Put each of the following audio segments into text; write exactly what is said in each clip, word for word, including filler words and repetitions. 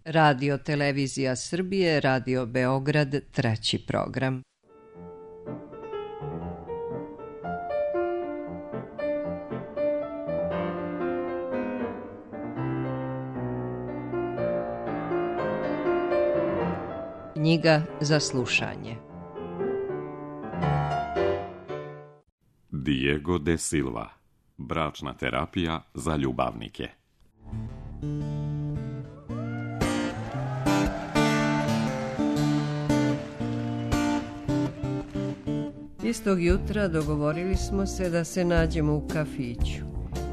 Radio Televizija Srbije, Radio Beograd, treći program. Knjiga za slušanje. Diego de Silva. Bračna terapija za ljubavnike. Istog jutra dogovorili smo se da se nađemo u kafiću,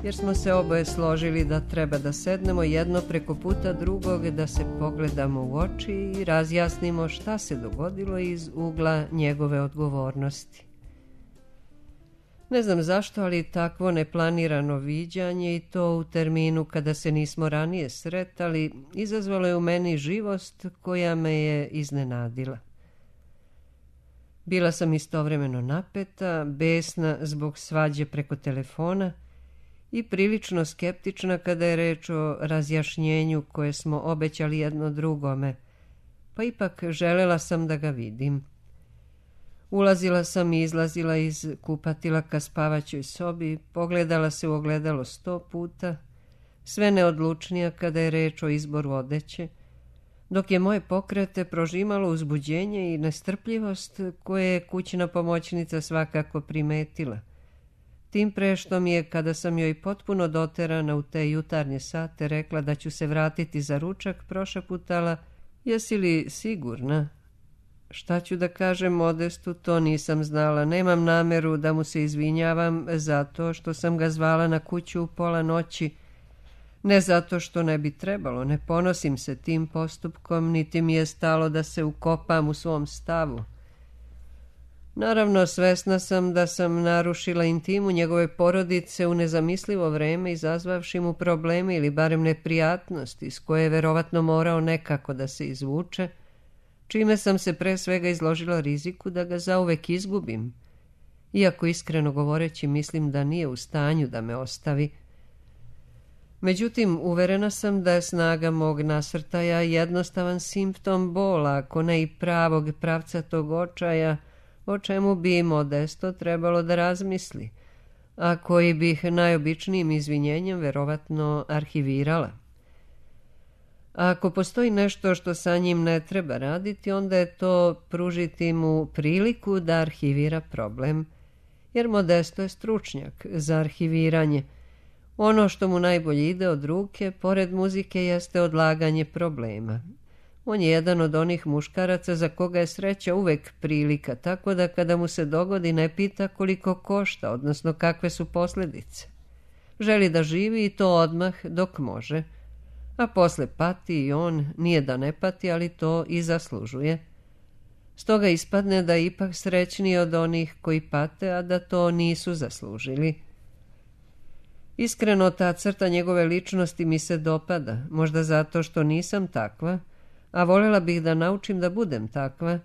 jer smo se oboje složili da treba da sednemo jedno preko puta drugog, da se pogledamo u oči i razjasnimo šta se dogodilo iz ugla njegove odgovornosti. Ne znam zašto, ali takvo neplanirano viđanje i to u terminu kada se nismo ranije sretali, izazvalo je u meni živost koja me je iznenadila. Bila sam istovremeno napeta, besna zbog svađe preko telefona i prilično skeptična kada je reč o razjašnjenju koje smo obećali jedno drugome, pa ipak želela sam da ga vidim. Ulazila sam i izlazila iz kupatila ka spavaćoj sobi, pogledala se u ogledalo sto puta, sve neodlučnija kada je reč o izboru odeće, dok je moje pokrete prožimalo uzbuđenje i nestrpljivost koje je kućna pomoćnica svakako primetila. Tim pre što mi je, kada sam joj potpuno doterana u te jutarnje sate, rekla da ću se vratiti za ručak, prošaputala: "Jesi li sigurna?" Šta ću da kažem Modestu, to nisam znala. Nemam nameru da mu se izvinjavam zato što sam ga zvala na kuću u pola noći. Ne zato što ne bi trebalo, ne ponosim se tim postupkom, niti mi je stalo da se ukopam u svom stavu. Naravno, svesna sam da sam narušila intimu njegove porodice u nezamislivo vreme, izazvavši mu probleme ili barem neprijatnosti s koje je verovatno morao nekako da se izvuče, čime sam se pre svega izložila riziku da ga zauvek izgubim, iako iskreno govoreći mislim da nije u stanju da me ostavi. Međutim, uverena sam da je snaga mog nasrtaja jednostavan simptom bola, ako ne i pravog pravcatog očaja, o čemu bi Modesto trebalo da razmisli, a koji bih najobičnijim izvinjenjem verovatno arhivirala. A ako postoji nešto što sa njim ne treba raditi, onda je to pružiti mu priliku da arhivira problem, jer Modesto je stručnjak za arhiviranje. Ono što mu najbolje ide od ruke, pored muzike, jeste odlaganje problema. On je jedan od onih muškaraca za koga je sreća uvek prilika, tako da kada mu se dogodi ne pita koliko košta, odnosno kakve su posljedice. Želi da živi i to odmah dok može, a posle pati i on, nije da ne pati, ali to i zaslužuje. Stoga ispadne da je ipak srećniji od onih koji pate, a da to nisu zaslužili. Iskreno, ta crta njegove ličnosti mi se dopada, možda zato što nisam takva, a voljela bih da naučim da budem takva,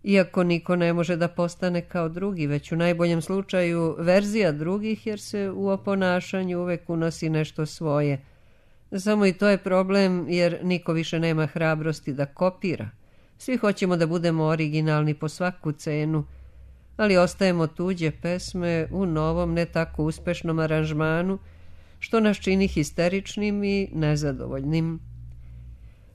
iako niko ne može da postane kao drugi, već u najboljem slučaju verzija drugih, jer se u oponašanju uvek unosi nešto svoje. Samo i to je problem, jer niko više nema hrabrosti da kopira. Svi hoćemo da budemo originalni po svaku cenu, ali ostajemo tuđe pesme u novom, ne tako uspešnom aranžmanu, što nas čini histeričnim i nezadovoljnim.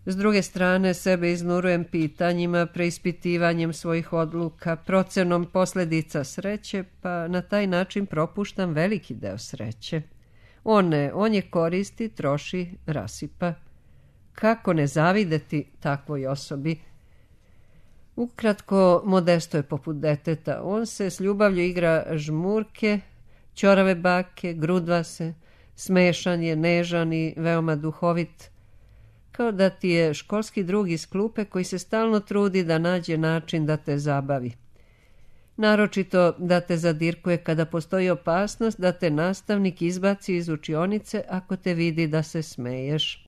S druge strane, sebe iznurujem pitanjima, preispitivanjem svojih odluka, procenom posljedica sreće, pa na taj način propuštam veliki deo sreće. On ne, on je koristi, troši, rasipa. Kako ne zavideti takvoj osobi? Ukratko, Modesto je poput deteta. On se s ljubavlju igra žmurke, ćorave bake, grudva se, smešan je, nežan i veoma duhovit, kao da ti je školski drug iz klupe koji se stalno trudi da nađe način da te zabavi. Naročito da te zadirkuje kada postoji opasnost da te nastavnik izbaci iz učionice ako te vidi da se smeješ.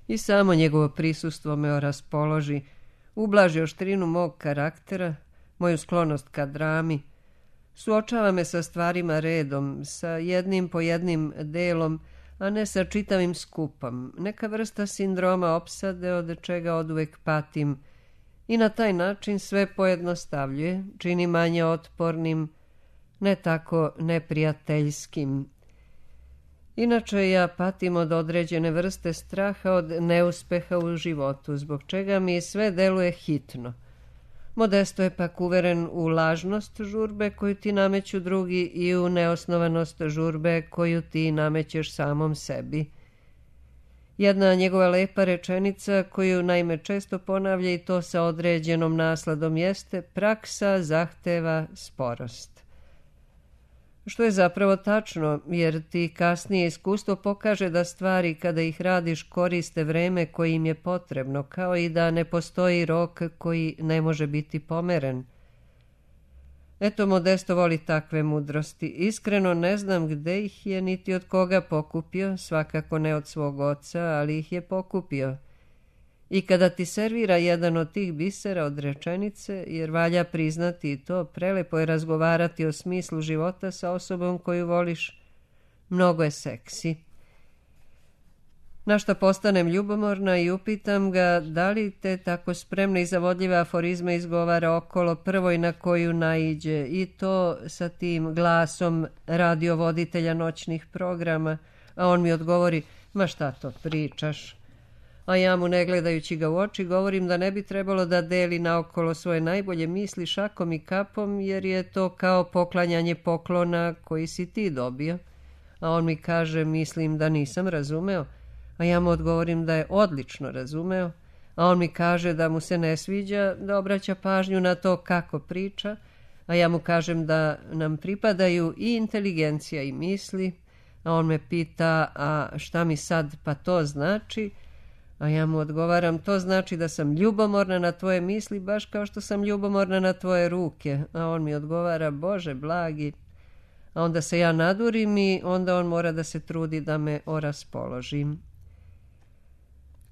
I samo njegovo prisustvo me raspoloži, ublaži oštrinu mog karaktera, moju sklonost ka drami, suočava me sa stvarima redom, sa jednim po jednim delom, a ne sa čitavim skupom, neka vrsta sindroma opsade od čega oduvek patim i na taj način sve pojednostavljuje, čini manje otpornim, ne tako neprijateljskim. Inače ja patim od određene vrste straha od neuspeha u životu, zbog čega mi sve deluje hitno. Modesto je pak uveren u lažnost žurbe koju ti nameću drugi i u neosnovanost žurbe koju ti namećeš samom sebi. Jedna njegova lepa rečenica koju naime često ponavlja i to sa određenom nasladom jeste: praksa zahteva sporost. Što je zapravo tačno, jer ti kasnije iskustvo pokaže da stvari kada ih radiš koriste vreme koje im je potrebno, kao i da ne postoji rok koji ne može biti pomeren. Eto, Modesto voli takve mudrosti. Iskreno ne znam gde ih je niti od koga pokupio, svakako ne od svog oca, ali ih je pokupio. I kada ti servira jedan od tih bisera od rečenice, jer valja priznati i to, prelepo je razgovarati o smislu života sa osobom koju voliš, mnogo je seksi. Na šta postanem ljubomorna i upitam ga da li te tako spremne i zavodljive aforizme izgovara okolo prvoj na koju naiđe, i to sa tim glasom radiovoditelja noćnih programa, a on mi odgovori: ma šta to pričaš? A ja mu, ne gledajući ga u oči, govorim da ne bi trebalo da deli naokolo svoje najbolje misli šakom i kapom, jer je to kao poklanjanje poklona koji si ti dobio. A on mi kaže: mislim da nisam razumeo. A ja mu odgovorim da je odlično razumeo. A on mi kaže da mu se ne sviđa da obraća pažnju na to kako priča. A ja mu kažem da nam pripadaju i inteligencija i misli. A on me pita: a šta mi sad pa to znači? A ja mu odgovaram: to znači da sam ljubomorna na tvoje misli, baš kao što sam ljubomorna na tvoje ruke. A on mi odgovara: Bože blagi. A onda se ja nadurim i onda on mora da se trudi da me oraspoložim.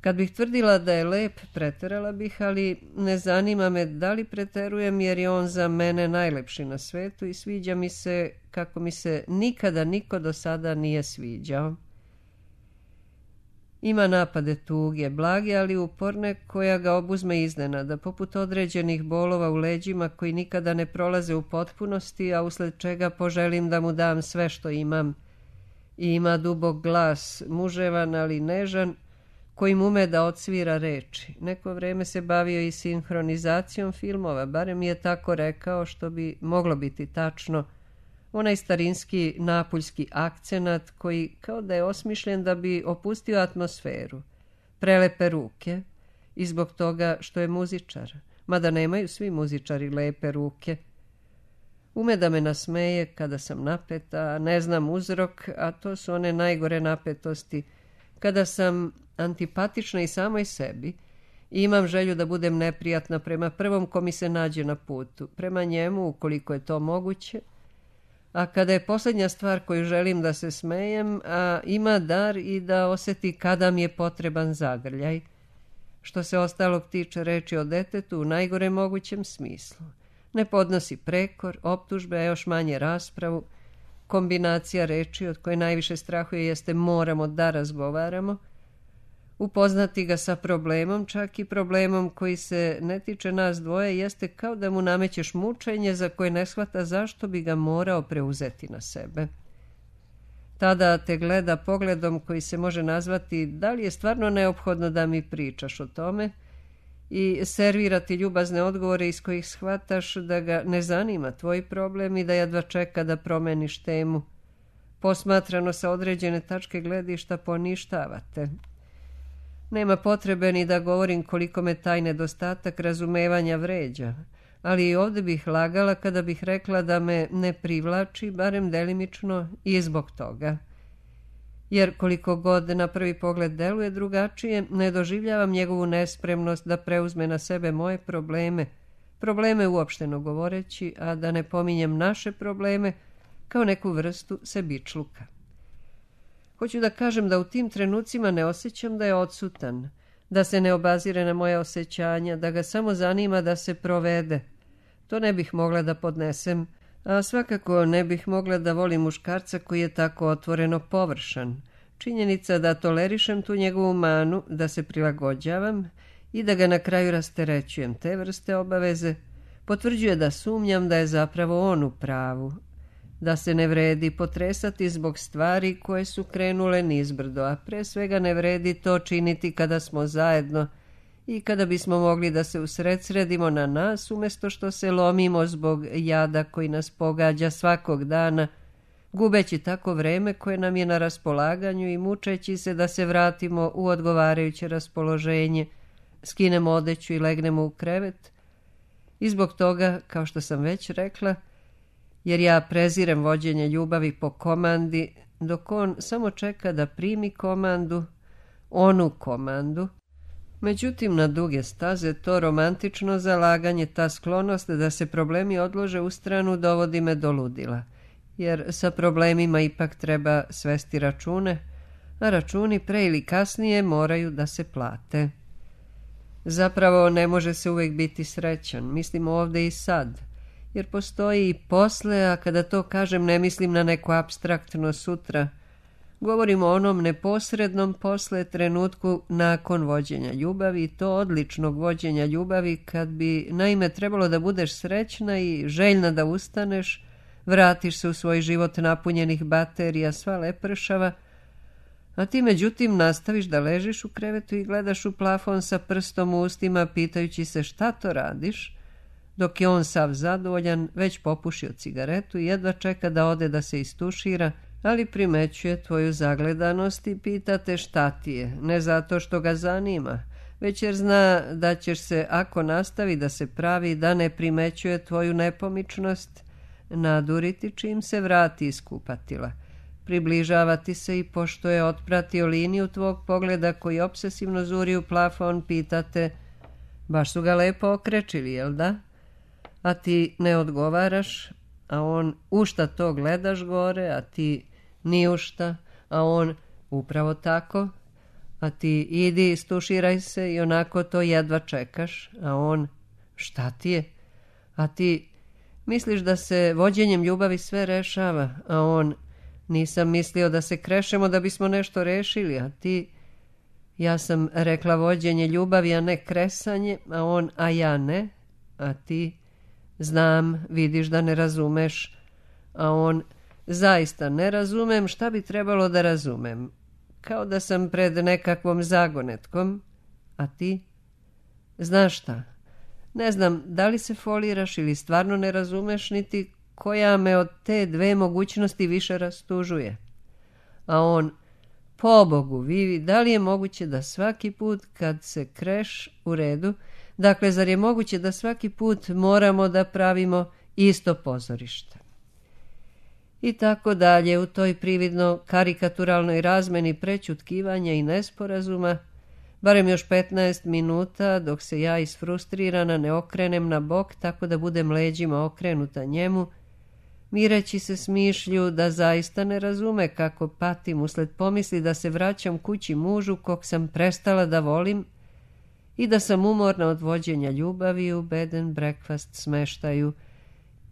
Kad bih tvrdila da je lep, preterala bih, ali ne zanima me da li preterujem, jer je on za mene najlepši na svetu i sviđa mi se kako mi se nikada niko do sada nije sviđao. Ima napade tuge, blage, ali uporne, koja ga obuzme iznenada, poput određenih bolova u leđima koji nikada ne prolaze u potpunosti, a usled čega poželim da mu dam sve što imam. I ima dubok glas, muževan ali nežan, kojim ume da odsvira reči. Neko vreme se bavio i sinhronizacijom filmova, barem je tako rekao, što bi moglo biti tačno. Onaj starinski napuljski akcenat koji kao da je osmišljen da bi opustio atmosferu. Prelepe ruke i zbog toga što je muzičar, mada nemaju svi muzičari lepe ruke. Ume da me nasmeje kada sam napeta, ne znam uzrok, a to su one najgore napetosti, kada sam antipatična i samoj sebi i imam želju da budem neprijatna prema prvom ko mi se nađe na putu, prema njemu ukoliko je to moguće, a kada je posljednja stvar koju želim da se smejem, a ima dar i da osjeti kada mi je potreban zagrljaj. Što se ostalog tiče, reči o detetu u najgore mogućem smislu. Ne podnosi prekor, optužbe, a još manje raspravu. Kombinacija reči od koje najviše strahuje jeste moramo da razgovaramo. Upoznati ga sa problemom, čak i problemom koji se ne tiče nas dvoje, jeste kao da mu namećeš mučenje za koje ne shvata zašto bi ga morao preuzeti na sebe. Tada te gleda pogledom koji se može nazvati da li je stvarno neophodno da mi pričaš o tome i servira ti ljubazne odgovore iz kojih shvataš da ga ne zanima tvoj problem i da jedva čeka da promeniš temu. Posmatrano sa određene tačke gledišta poništavate. Nema potrebe ni da govorim koliko me taj nedostatak razumevanja vređa, ali i ovdje bih lagala kada bih rekla da me ne privlači, barem delimično, i zbog toga. Jer koliko god na prvi pogled deluje drugačije, ne doživljavam njegovu nespremnost da preuzme na sebe moje probleme, probleme uopšteno govoreći, a da ne pominjem naše probleme, kao neku vrstu sebičluka. Hoću da kažem da u tim trenucima ne osjećam da je odsutan, da se ne obazire na moje osjećanja, da ga samo zanima da se provede. To ne bih mogla da podnesem, a svakako ne bih mogla da volim muškarca koji je tako otvoreno površan, Činjenica da tolerišem tu njegovu manu, da se prilagođavam i da ga na kraju rasterećujem te vrste obaveze, potvrđuje da sumnjam da je zapravo on u pravu, da se ne vredi potresati zbog stvari koje su krenule nizbrdo, a pre svega ne vredi to činiti kada smo zajedno i kada bismo mogli da se usredsredimo na nas, umjesto što se lomimo zbog jada koji nas pogađa svakog dana, gubeći tako vreme koje nam je na raspolaganju i mučeći se da se vratimo u odgovarajuće raspoloženje, skinemo odeću i legnemo u krevet. I zbog toga, kao što sam već rekla, jer ja prezirem vođenje ljubavi po komandi, dok on samo čeka da primi komandu, onu komandu. Međutim, na duge staze to romantično zalaganje, ta sklonost da se problemi odlože u stranu dovodi me do ludila, jer sa problemima ipak treba svesti račune, a računi pre ili kasnije moraju da se plate. Zapravo ne može se uvijek biti srećan, mislim ovdje i sad, jer postoji i posle, a kada to kažem ne mislim na neko apstraktno sutra. Govorim o onom neposrednom posle, trenutku nakon vođenja ljubavi, i to odličnog vođenja ljubavi, kad bi naime trebalo da budeš srećna i željna da ustaneš, vratiš se u svoj život napunjenih baterija, sva lepršava, a ti međutim nastaviš da ležiš u krevetu i gledaš u plafon sa prstom u ustima, pitajući se šta to radiš, dok je on sav zadovoljan, već popušio cigaretu i jedva čeka da ode da se istušira, ali primećuje tvoju zagledanost i pita te šta ti je, ne zato što ga zanima, već jer zna da ćeš se, ako nastavi da se pravi da ne primećuje tvoju nepomičnost, naduriti čim se vrati iz kupatila, približavati se i pošto je otpratio liniju tvog pogleda koji obsesivno zuri u plafon, pitate, baš su ga lepo okrečili, jel da? A ti ne odgovaraš, a on u šta to gledaš gore, a ti ni u šta, a on upravo tako, a ti idi istuširaj se i onako to jedva čekaš, a on šta ti je, a ti misliš da se vođenjem ljubavi sve rešava, a on nisam mislio da se krešemo da bismo nešto rešili, a ti ja sam rekla vođenje ljubavi, a ne kresanje, a on a ja ne, a ti znam, vidiš da ne razumeš, a on zaista ne razumem, šta bi trebalo da razumem, kao da sam pred nekakvom zagonetkom, a ti znaš šta, ne znam da li se foliraš ili stvarno ne razumeš, niti koja me od te dve mogućnosti više rastužuje. A on, pobogu, Vivi, da li je moguće da svaki put kad se kreš u redu, dakle, zar je moguće da svaki put moramo da pravimo isto pozorište? I tako dalje, u toj prividno karikaturalnoj razmeni prećutkivanja i nesporazuma, barem još petnaest minuta, dok se ja isfrustrirana ne okrenem na bok tako da budem leđima okrenuta njemu, mireći se smišlju da zaista ne razume kako patim usled pomisli da se vraćam kući mužu kog sam prestala da volim i da sam umorna od vođenja ljubavi u bed and breakfast smeštaju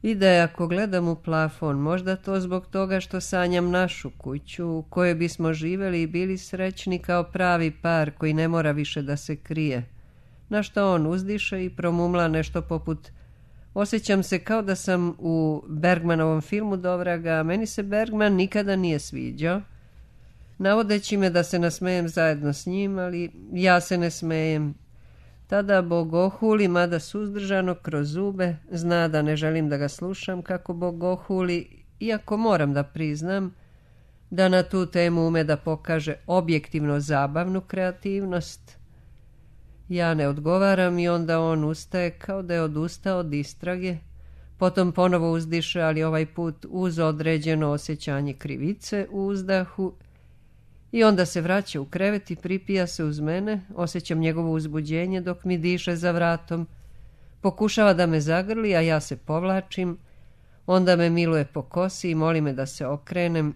i da je, ako gledam u plafon, možda to zbog toga što sanjam našu kuću u kojoj bismo živeli i bili srećni kao pravi par koji ne mora više da se krije, na što on uzdiše i promumla nešto poput: osjećam se kao da sam u Bergmanovom filmu do vraga, a meni se Bergman nikada nije sviđao, navodeći me da se nasmejem zajedno s njim, ali ja se ne smejem. Tada bogohuli, mada suzdržano kroz zube, zna da ne želim da ga slušam kako bogohuli, iako moram da priznam da na tu temu ume da pokaže objektivno zabavnu kreativnost. Ja ne odgovaram i onda on ustaje kao da je odustao od istrage, potom ponovo uzdiše, ali ovaj put uz određeno osjećanje krivice u uzdahu, i onda se vraća u krevet i pripija se uz mene, osjećam njegovo uzbuđenje dok mi diše za vratom, pokušava da me zagrli, a ja se povlačim, onda me miluje po kosi i moli me da se okrenem,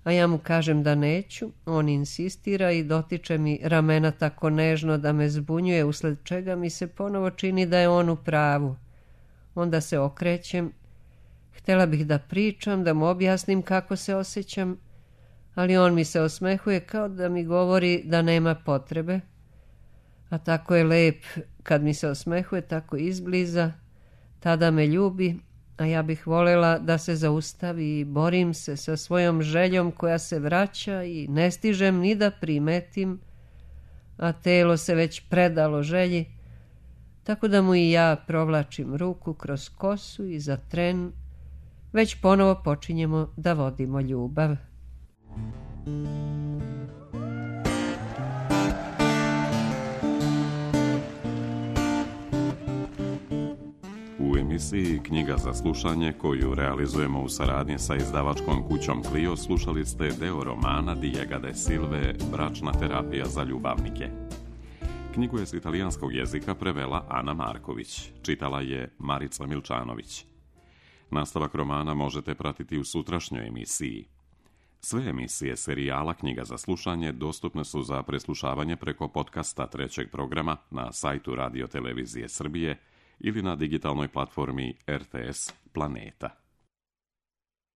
a ja mu kažem da neću, on insistira i dotiče mi ramena tako nežno da me zbunjuje, usled čega mi se ponovo čini da je on u pravu. Onda se okrećem, htjela bih da pričam, da mu objasnim kako se osjećam, ali on mi se osmehuje kao da mi govori da nema potrebe, a tako je lep kad mi se osmehuje tako izbliza, tada me ljubi, a ja bih voljela da se zaustavi i borim se sa svojom željom koja se vraća i ne stižem ni da primetim, a telo se već predalo želji, tako da mu i ja provlačim ruku kroz kosu i za tren već ponovo počinjemo da vodimo ljubav. U emisiji Knjiga za slušanje, koju realizujemo u saradnji sa izdavačkom kućom Clio, slušali ste deo romana Diego de Silve Bračna terapija za ljubavnike. Knjigu je s italijanskog jezika prevela Ana Marković, čitala je Marica Milčanović. Nastavak romana možete pratiti u sutrašnjoj emisiji. Sve emisije serijala Knjiga za slušanje dostupne su za preslušavanje preko podcasta trećeg programa na sajtu Radio Televizije Srbije ili na digitalnoj platformi R T S Planeta.